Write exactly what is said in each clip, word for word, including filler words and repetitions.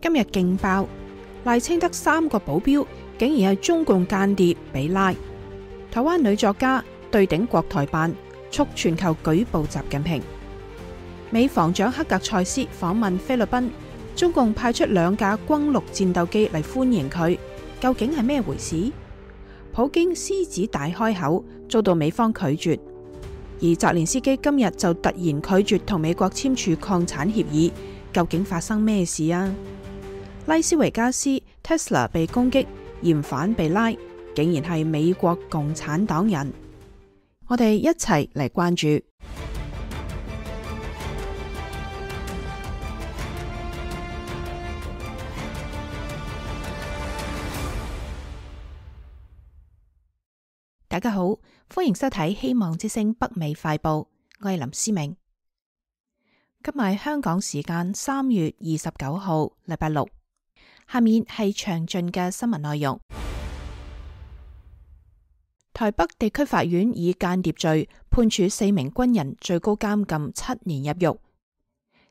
今日勁爆，賴清德三個保鏢竟然係中共間諜被拉。台灣女作家對頂國台辦，促全球舉報習近平。美防長克格塞斯訪問菲律賓，中共派出兩架轟六戰鬥機嚟歡迎佢，究竟係咩回事？普京獅子大開口，遭到美方拒絕，而澤連斯基今日就突然拒絕同美國簽署礦產協議，究竟發生咩事啊？拉斯維加斯 Tesla 被攻擊，嫌犯被拉，竟然係美國共產黨人。我哋一齊嚟關注。大家好，歡迎收睇《希望之聲北美快報》，我係林思明。今日係香港時間三月二十九號，禮拜六。下面係詳盡嘅新聞內容。台北地區法院以間諜罪判處四名軍人最高監禁七年入獄。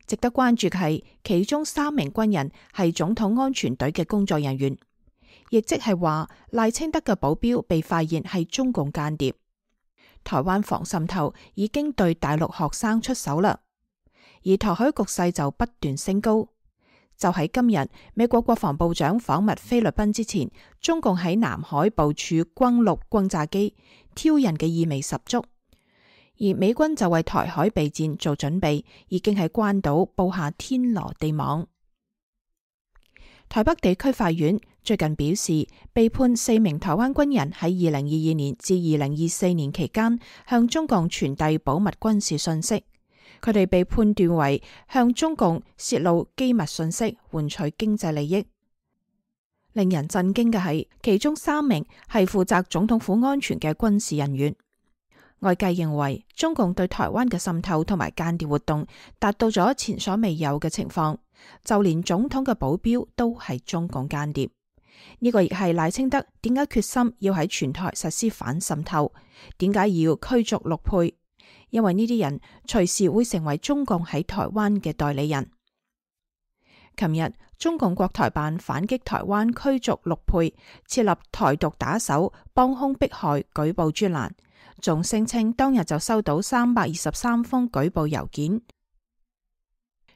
值得關注嘅係，其中三名軍人係總統安全隊嘅工作人員，亦即係話賴清德嘅保鏢被發現係中共間諜。台灣防滲透已經對大陸學生出手啦，而台海局勢就不斷升高。就喺今日，美國國防部長訪問菲律賓之前，中共喺南海部署轟六轟炸機，挑釁嘅意味十足。而美軍就為台海備戰做準備，已經喺關島布下天羅地網。台北地區法院最近表示，被判四名台灣軍人喺二零二二年至二零二四年期間向中共傳遞保密軍事信息。佢哋被判斷為向中共洩露機密信息，換取經濟利益。令人震驚嘅係，其中三名係負責總統府安全嘅軍事人員。外界認為，中共對台灣嘅滲透同埋間諜活動達到咗前所未有嘅情況，就連總統嘅保鏢都係中共間諜。呢個亦係賴清德點解決心要喺全台實施反滲透，點解要驅逐陸配？因為呢啲人隨時會成為中共喺台灣嘅代理人。琴日，中共國台辦反擊台灣驅逐陸配，設立台獨打手幫兇迫害舉報專欄，仲聲稱當日就收到三百二十三封舉報郵件。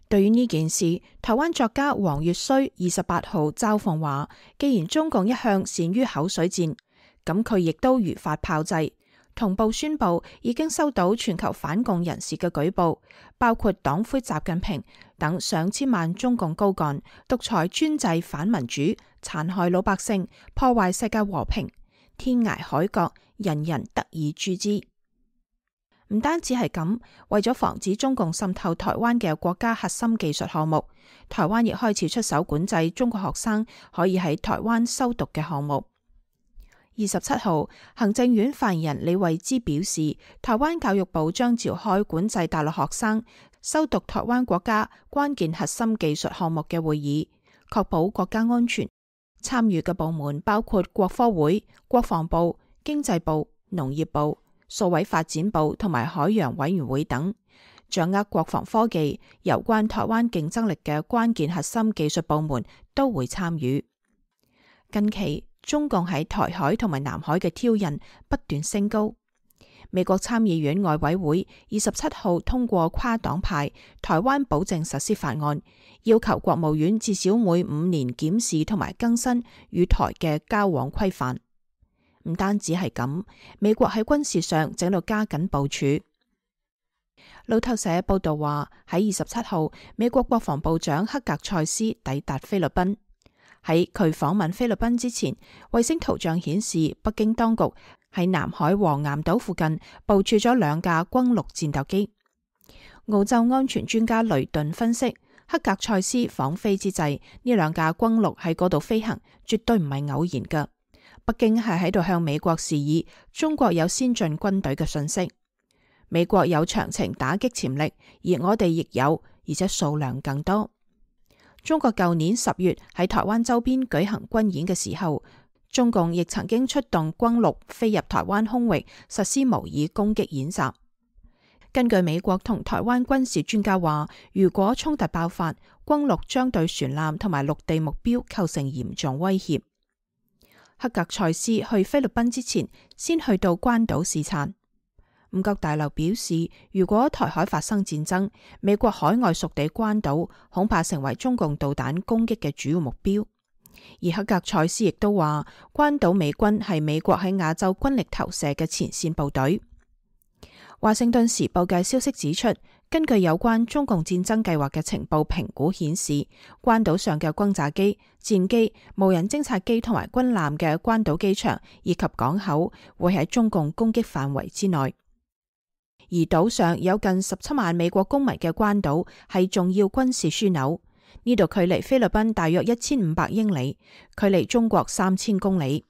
對於呢件事，台灣作家黃月衰二十八號嘲諷話，既然中共一向善於口水戰，咁佢亦都如法炮製。同步宣布已經收到全球反共人士嘅舉報，包括黨魁習近平等上千萬中共高幹，獨裁專制反民主，殘害老百姓，破壞世界和平，天涯海角人人得而誅之。唔單止係咁，為咗防止中共滲透台灣嘅國家核心技術項目，台灣亦開始出手管制中國學生可以喺台灣修讀嘅項目。二十七號，行政院發言人李慧芝表示，台灣教育部將召開管制大陸學生修讀台灣國家關鍵核心技術項目嘅會議，確保國家安全。參與嘅部門包括國科會、國防部、經濟部、農業部、數位發展部同埋海洋委員會等，掌握國防科技有關台灣競爭力嘅關鍵核心技術部門都會參與。近期，中共喺台海同埋南海嘅挑釁不斷升高。美國參議院外委會二十七號通過跨黨派台灣保證實施法案，要求國務院至少每五年檢視同埋更新與台嘅交往規範。唔單止係咁，美國喺軍事上正度加緊部署。路透社報道話，喺二十七號，美國國防部長克格塞斯抵達菲律賓。喺佢訪問菲律賓之前，衛星圖像顯示北京當局喺南海黃岩島附近部署咗兩架轟六戰鬥機。澳洲安全專家雷頓分析，克格塞斯訪菲之際，呢兩架轟六喺嗰度飛行，絕對唔係偶然噶。北京係喺度向美國示意，中國有先進軍隊嘅信息，美國有長程打擊潛力，而我哋亦有，而且數量更多。中國舊年十月喺台灣周邊舉行軍演嘅時候，中共亦曾經出動轟六飛入台灣空域實施模擬攻擊演習。根據美國同台灣軍事專家話，如果衝突爆發，軍陸將對船艦同埋陸地目標構成嚴重威脅。克格塞斯去菲律賓之前，先去到關島視察。五角大樓表示，如果台海發生戰爭，美國海外屬地關島恐怕成為中共導彈攻擊嘅主要目標。而克格塞斯亦都話，關島美軍係美國喺亞洲軍力投射嘅前線部隊。華盛頓時報嘅消息指出，根據有關中共戰爭計劃嘅情報評估顯示，關島上嘅轟炸機、戰機、無人偵察機同埋軍艦嘅關島機場以及港口會喺中共攻擊範圍之內。而島上有近十七萬美國公民嘅關島係重要軍事樞紐，呢度距離菲律賓大約一千五百英里，距離中國三千公里。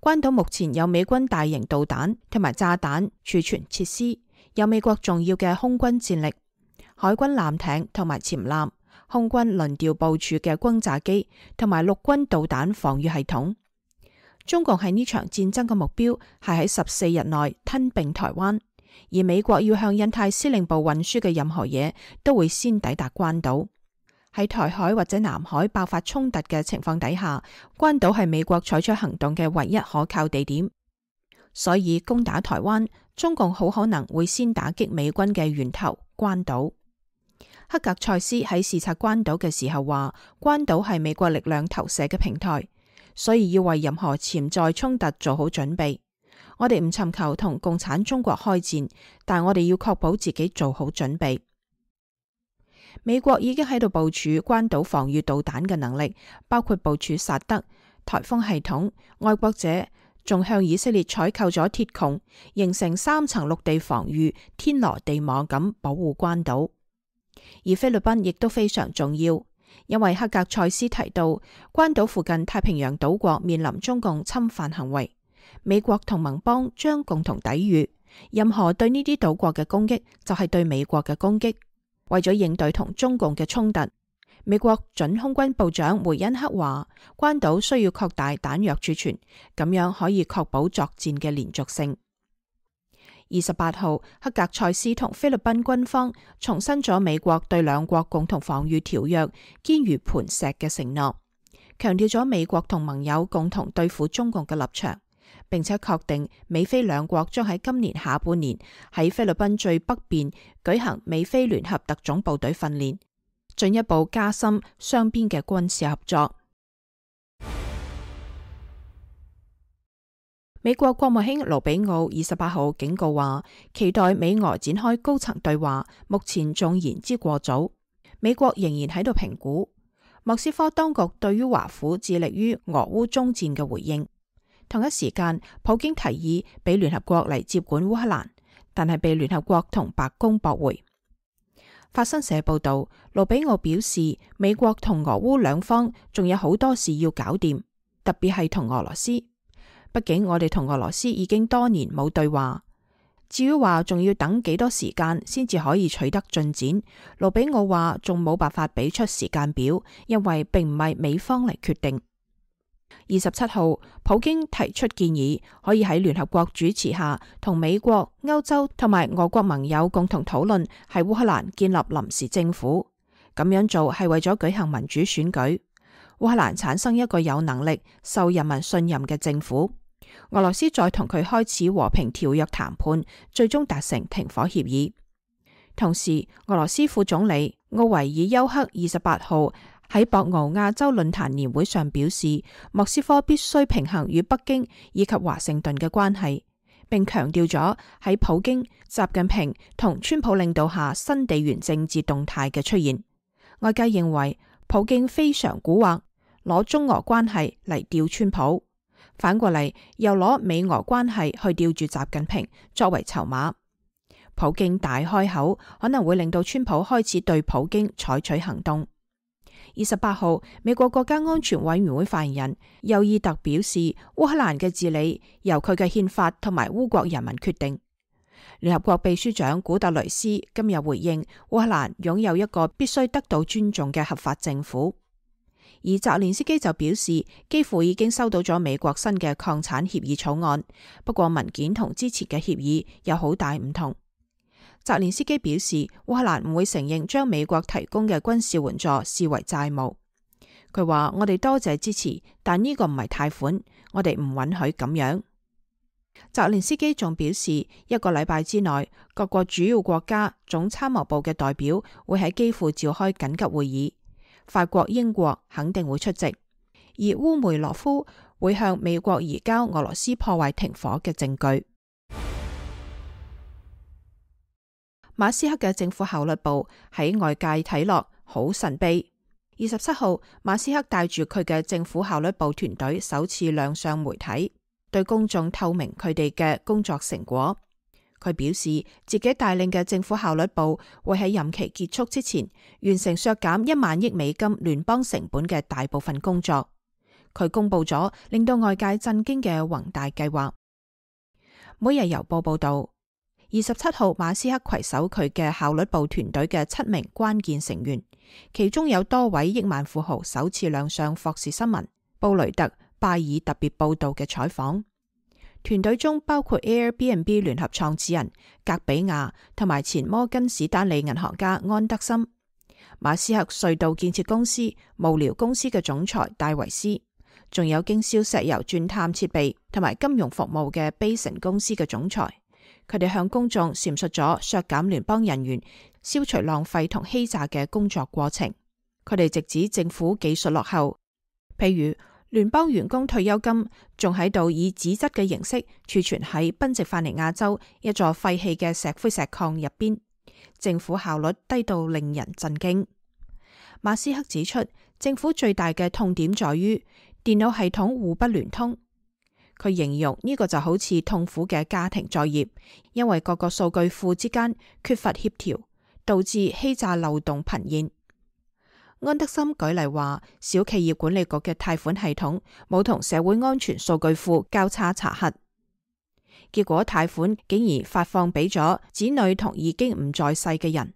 關島目前有美軍大型導彈同埋炸彈儲存設施，有美國重要嘅空軍戰力、海軍艦艇同埋潛艦、空軍輪調部署嘅轟炸機同埋陸軍導彈防禦系統。中共喺呢場戰爭嘅目標係喺十四日內吞併台灣，而美國要向印太司令部運輸嘅任何嘢都會先抵達關島。喺台海或者南海爆發衝突嘅情況底下，關島係美國採取行動嘅唯一可靠地點。所以攻打台灣，中共好可能會先打擊美軍嘅源頭關島。克格塞斯喺視察關島嘅時候話，關島係美國力量投射嘅平台，所以要為任何潛在衝突做好準備。我哋唔尋求同共產中國開戰，但我哋要確保自己做好準備。美國已經喺度部署關島防禦導彈嘅能力，包括部署薩德颱風系統。愛國者仲向以色列採購咗鐵穹，形成三層陸地防禦，天羅地網咁保護關島。而菲律賓亦都非常重要，因為克格塞斯提到關島附近太平洋島國面臨中共侵犯行為，美國同盟邦將共同抵禦。任何對呢啲島國嘅攻擊就係對美國嘅攻擊。為咗應對同中共嘅衝突，美國準空軍部長梅恩克話，關島需要擴大彈藥儲存，咁樣可以確保作戰嘅連續性。二十八號，克格塞斯同菲律賓軍方重申咗美國對兩國共同防禦條約堅如磐石嘅承諾，強調咗美國同盟友共同對付中共嘅立場，並且確定美菲兩國將喺今年下半年喺菲律賓最北邊舉行美菲聯合特種部隊訓練，進一步加深雙邊嘅軍事合作。美國國務卿盧比奧二十八號警告話，期待美俄展開高層對話，目前仲言之過早。美國仍然喺度評估莫斯科當局對於華府致力於俄烏中戰嘅回應。同一時間，普京提議俾聯合國嚟接管烏克蘭，但係被聯合國同白宮駁回。法新社報道，盧比奧表示，美國同俄烏兩方仲有好多事要搞掂，特別係同俄羅斯。畢竟我哋同俄羅斯已經多年冇對話，至於話仲要等幾多時間先至可以取得進展，盧比奧話仲冇辦法俾出時間表，因為並唔係美方嚟決定。二十七號，普京提出建議，可以喺聯合國主持下，同美國、歐洲同埋俄國盟友共同討論喺烏克蘭建立臨時政府。咁樣做係為咗舉行民主選舉，烏克蘭產生一個有能力、受人民信任嘅政府。俄羅斯再同佢開始和平條約談判，最終達成停火協議。同時，俄羅斯副總理奧維爾丘克二十八號喺博鰲亞洲論壇年會上表示，莫斯科必須平衡與北京以及華盛頓嘅關係，並強調咗喺普京、習近平同川普領導下新地緣政治動態嘅出現。外界認為普京非常蠱惑，攞中俄關係嚟吊川普，反過嚟又攞美俄關係去吊住習近平作為籌碼。普京大開口，可能會令到川普開始對普京採取行動。二十八號，美國國家安全委員會發言人尤爾特表示，烏克蘭嘅治理由佢嘅憲法同埋烏國人民決定。聯合國秘書長古特雷斯今日回應，烏克蘭擁有一個必須得到尊重嘅合法政府。而澤連斯基就表示，幾乎已經收到咗美國新嘅礦產協議草案，不過文件同之前嘅協議有好大唔同。澤連斯基表示，烏克蘭唔會承認將美國提供嘅軍事援助視為債務。佢話：我哋多謝支持，但呢個唔係貸款，我哋唔允許咁樣。澤連斯基仲表示，一個禮拜之內，各國主要國家總參謀部嘅代表會喺基輔召開緊急會議，法國、英國肯定會出席，而烏梅羅夫會向美國移交俄羅斯破壞停火嘅證據。馬斯克嘅政府效率部喺外界睇落好神秘。二十七號，馬斯克帶住佢嘅政府效率部團隊首次亮相媒體，對公眾透明佢哋嘅工作成果。佢表示自己帶領嘅政府效率部會喺任期結束之前完成削減一萬億美金聯邦成本嘅大部分工作。佢公布咗令到外界震驚嘅宏大計劃。每日郵報報道，二十七號馬斯克攜手佢嘅效率部團隊嘅七名關鍵成員，其中有多位億萬富豪首次亮相霍士新聞、布雷特、拜爾特別報道嘅採訪。團隊中包括 Airbnb 聯合創始人格比亞同埋前摩根士丹利銀行家安德森，馬斯克隧道建設公司無聊公司嘅總裁戴維斯，仲有經銷石油鑽探設備同埋金融服務嘅 Basin 公司嘅總裁。佢哋向公眾闡述咗削減聯邦人員、消除浪費同欺詐嘅工作過程。佢哋直指政府技術落後，譬如聯邦員工退休金仲喺度以紙質嘅形式儲存喺賓夕法尼亞州一座廢棄嘅石灰石礦入邊，政府效率低到令人震驚。馬斯克指出，政府最大嘅痛點在於電腦系統互不聯通。佢形容呢個就好似痛苦嘅家庭作業，因為各個數據庫之間缺乏協調，導致欺詐漏洞頻現。安德森舉例話，小企業管理局嘅貸款系統冇同社會安全數據庫交叉查核，結果貸款竟然發放俾咗子女同已經唔在世嘅人。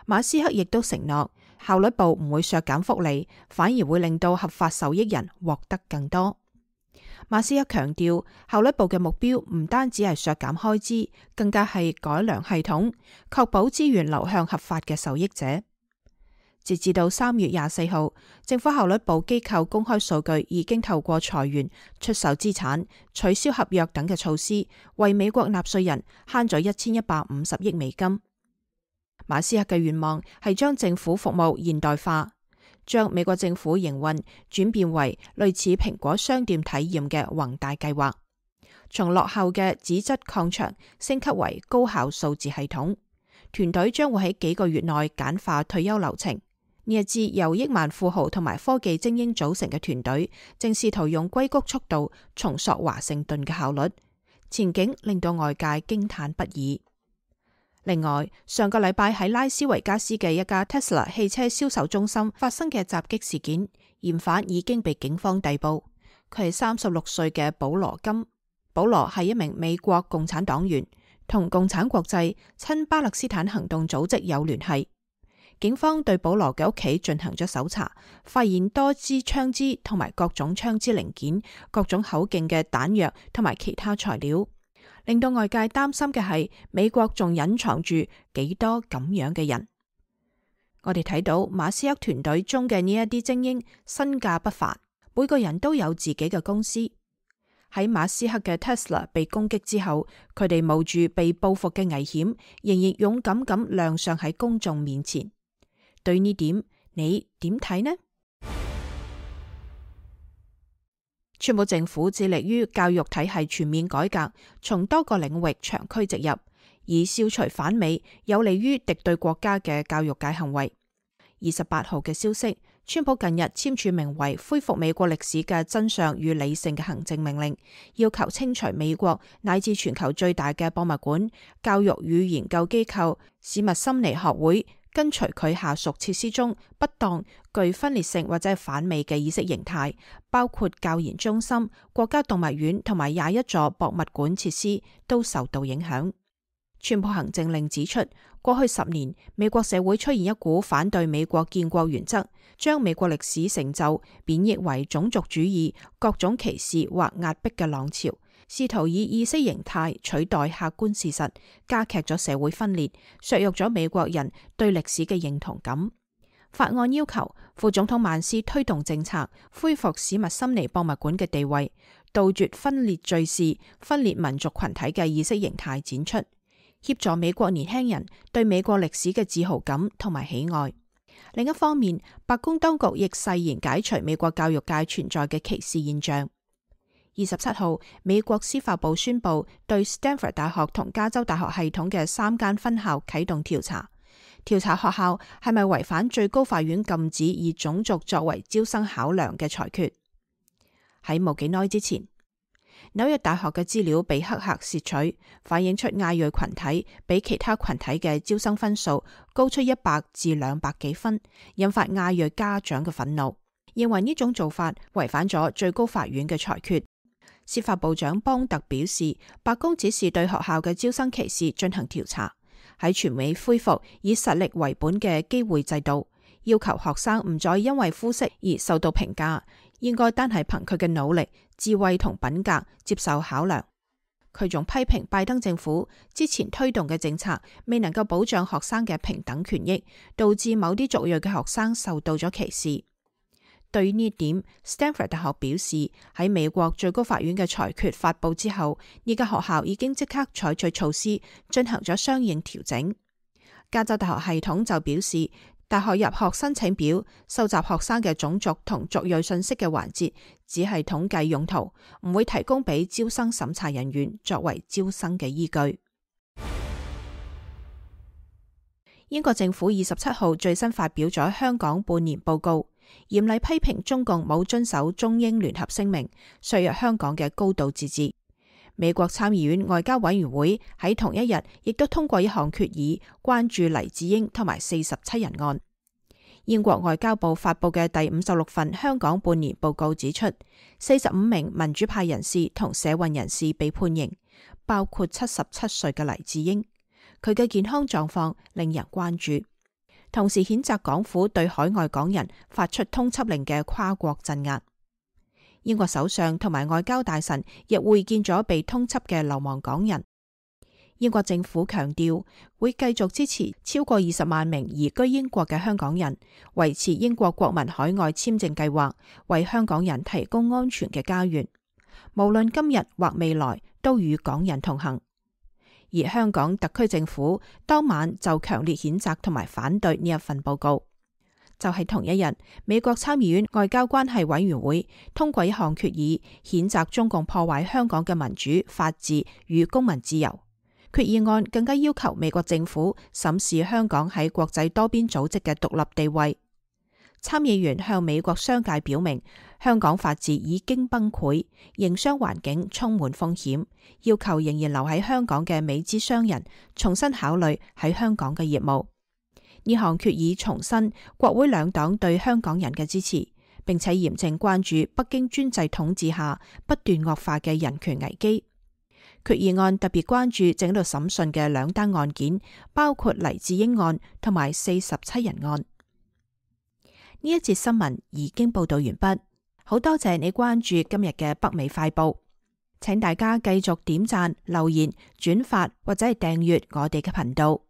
馬斯克亦都承諾，效率部唔會削減福利，反而會令到合法受益人獲得更多。馬斯克強調，效率部嘅目標唔單止係削減開支，更加係改良系統，確保資源流向合法嘅受益者。截至到三月廿四號，政府效率部機構公開數據已經透過裁員、出售資產、取消合約等嘅措施，為美國納稅人慳咗一千一百五十億美金。馬斯克嘅願望係將政府服務現代化，將美國政府營運轉變為類似蘋果商店體驗嘅宏大計劃，從落後嘅紙質礦場升級為高效數字系統。團隊將會喺幾個月內簡化退休流程。呢一支由億萬富豪同埋科技精英組成嘅團隊，正試圖用硅谷速度重塑華盛頓嘅效率，前景令到外界驚嘆不已。另外，上個禮拜喺拉斯維加斯嘅一家 Tesla 汽車銷售中心發生嘅襲擊事件，嫌犯已經被警方逮捕。佢係三十六歲嘅保羅金。保羅係一名美國共產黨員，同共產國際親巴勒斯坦行動組織有聯繫。警方對保羅嘅屋企進行咗搜查，發現多支槍支同埋各種槍支零件、各種口徑嘅彈藥同埋其他材料。令到外界擔心嘅係，美國仲隱藏住幾多咁樣嘅人。我哋睇到馬斯克團隊中嘅呢一啲精英身價不凡，每個人都有自己嘅公司。喺馬斯克嘅 Tesla 被攻擊之後，佢哋冒住被報復嘅危險，仍然勇敢咁亮相喺公眾面前。對呢點，你點睇呢？川普政府致力於教育體系全面改革，從多個領域長驅直入，以消除反美、有利於敵對國家嘅教育界行為。二十八號嘅消息，川普近日簽署名為《恢復美國歷史嘅真相與理性》嘅行政命令，要求清除美國乃至全球最大嘅博物館、教育與研究機構史密森尼學會，跟隨佢下屬設施中不當、具分裂性或者係反美嘅意識形態，包括教研中心、國家動物園同埋廿一座博物館設施都受到影響。川普行政令指出，過去十年美國社會出現一股反對美國建國原則，將美國歷史成就貶抑為種族主義、各種歧視或壓迫嘅浪潮，試圖以意識形態取代客觀事實，加劇咗社會分裂，削弱咗美國人對歷史嘅認同感。法案要求副總統曼斯推動政策，恢復史密森尼博物館嘅地位，杜絕分裂敘事、分裂民族群體嘅意識形態展出，協助美國年輕人對美國歷史嘅自豪感同埋喜愛。另一方面，白宮當局亦誓言解除美國教育界存在嘅歧視現象。二十七號，美國司法部宣布對 Stanford 大學同加州大學系統嘅三間分校啟動調查，調查學校係咪違反最高法院禁止以種族作為招生考量嘅裁決。喺冇幾耐之前，紐約大學嘅資料被黑客竊取，反映出亞裔群體比其他群體嘅招生分數高出一百至兩百幾分，引發亞裔家長嘅憤怒，認為呢種做法違反咗最高法院嘅裁決。司法部長邦特表示，白宮指示對學校嘅招生歧視進行調查，喺全美恢復以實力為本嘅機會制度，要求學生唔再因為膚色而受到評價，應該單係憑佢嘅努力、智慧同品格接受考量。佢仲批評拜登政府之前推動嘅政策未能夠保障學生嘅平等權益，導致某啲族裔嘅學生受到咗歧視。對於呢點 ，Stanford 大學表示，喺美國最高法院嘅裁決發佈之後，呢間學校已經即刻採取措施進行咗相應調整。加州大學系統就表示，大學入學申請表收集學生嘅種族同族裔信息嘅環節只係統計用途，唔會提供俾招生審查人員作為招生嘅依據。英國政府二十七號最新發表咗香港半年報告，嚴厲批評中共冇遵守中英聯合聲明，削弱香港嘅高度自治。美國參議院外交委員會喺同一日亦都通過一項決議，關注黎智英同埋四十七人案。英國外交部發佈嘅第五十六份香港半年報告指出，四十五名民主派人士同社運人士被判刑，包括七十七歲嘅黎智英。佢嘅健康狀況令人關注，同時譴責港府對海外港人發出通緝令嘅跨國鎮壓。英國首相同埋外交大臣亦會見咗被通緝嘅流亡港人。英國政府強調會繼續支持超過二十萬名移居英國嘅香港人，維持英國國民海外簽證計劃，為香港人提供安全嘅家園，無論今日或未來都與港人同行。而香港特區政府當晚就強烈譴責同埋反對呢一份報告。就係同一日，美國參議院外交關係委員會通過一項決議，譴責中共破壞香港嘅民主、法治與公民自由。決議案更加要求美國政府審視香港喺國際多邊組織嘅獨立地位。參議員向美國商界表明，香港法治已經崩潰，營商環境充滿風險，要求仍然留喺香港嘅美資商人重新考慮喺香港嘅業務。呢項決議重申國會兩黨對香港人嘅支持，並且嚴正關注北京專制統治下不斷惡化嘅人權危機。決議案特別關注正喺度審訊嘅兩單案件，包括黎智英案同埋四十七人案。呢一節新聞已經報道完畢，好多謝你關注今日嘅北美快報，請大家繼續點讚、留言、轉發或者係訂閱我哋嘅頻道。